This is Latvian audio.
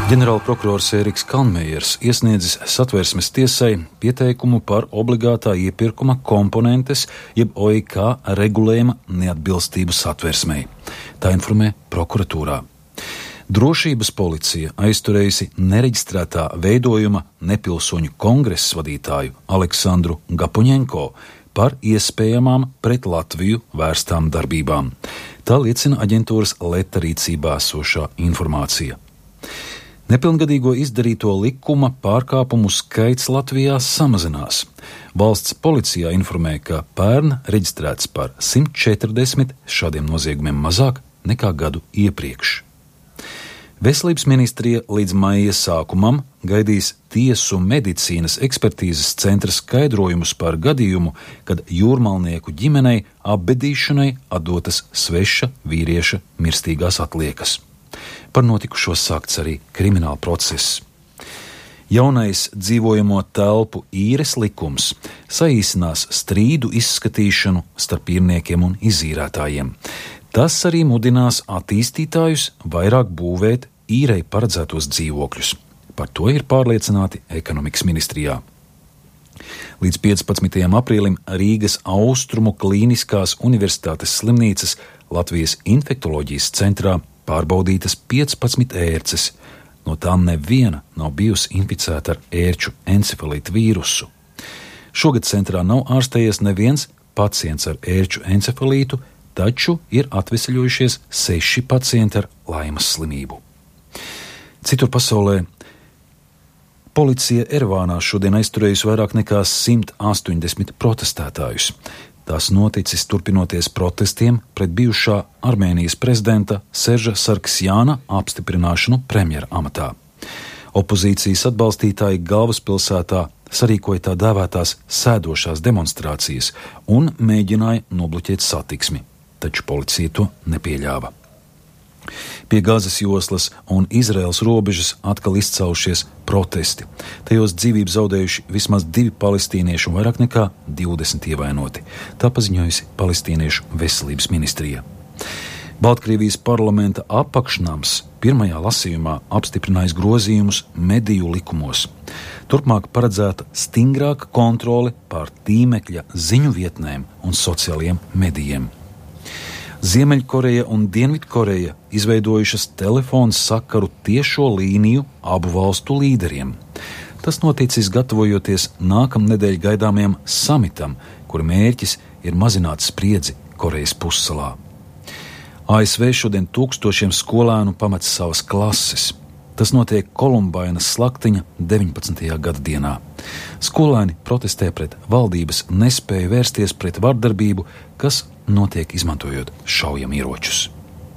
Ģenerālprokurors Ēriks Kalnmejers iesniedzis Satversmes tiesai pieteikumu par obligātā iepirkuma komponentes jeb OIK regulējuma neatbilstību Satversmei. Tā informē prokuratūrā. Drošības policija aizturējusi nereģistrētā veidojuma nepilsoņu kongresa vadītāju Aleksandru Gapuņenko par iespējamām pret Latviju vērstām darbībām. Tā liecina aģentūras Leta rīcībā esošā informācija. Nepilngadīgo izdarīto likuma pārkāpumu skaits Latvijā samazinās. Valsts policijā informē, ka pērn reģistrēts par 140 šādiem noziegumiem mazāk nekā gadu iepriekš. Veselības ministrija līdz maija sākumam gaidīs tiesu medicīnas ekspertīzes centra skaidrojumus par gadījumu, kad jūrmalnieku ģimenei apbedīšanai atdotas sveša vīrieša mirstīgās atliekas. Par notikušo sākts arī krimināla process. Jaunais dzīvojamo telpu īres likums saīsinās strīdu izskatīšanu starp īrniekiem un izīrētājiem. Tas arī mudinās attīstītājus vairāk būvēt īrei paredzētos dzīvokļus. Par to ir pārliecināti ekonomikas ministrijā. Līdz 15. aprīlim Rīgas Austrumu Klīniskās universitātes slimnīcas Latvijas infektoloģijas centrā pārbaudītas 15 ērces, no tām neviena nav bijusi inficēta ar ērču encefalītu vīrusu. Šogad centrā nav ārstējies neviens pacients ar ērču encefalītu, taču ir atveseļojušies 6 pacienti ar laimas slimību. Citur pasaulē policija Erevānā šodien aizturējusi vairāk nekā 180 protestētājus. Tas noticis turpinoties protestiem pret bijušā Armēnijas prezidenta Serža Sarksjāna apstiprināšanu premjera amatā. Opozīcijas atbalstītāji galvaspilsētā sarīkoja tā dēvētās sēdošās demonstrācijas un mēģināja nobloķēt satiksmi, taču policija to nepieļāva. Pie Gazas joslas un Izraēlas robežas atkal izcēlušies protesti. Tajos dzīvību zaudējuši vismaz 2 palestīnieši un vairāk nekā 20 ievainoti. Tā paziņojusi Palestīniešu veselības ministrija. Baltkrievijas parlamenta apakšnams pirmajā lasījumā apstiprinājis grozījumus mediju likumos. Turpmāk paredzēta stingrāka kontrole pār tīmekļa ziņu vietnēm un sociālajiem medijiem. Ziemeļkoreja un Dienvidkoreja izveidojušas telefonu sakaru tiešo līniju abu valstu līderiem. Tas noticis gatavojoties nākamnedēļ gaidāmajam samitam, kura mērķis ir mazināt spriedzi Korejas pussalā. ASV šodien tūkstošiem skolēnu pamet savas klases. Tas notiek Kolumbainas slaktiņa 19. gada dienā. Skolēni protestē pret valdības nespēju vērsties pret vardarbību, kas notiek izmantojot šaujamieročus.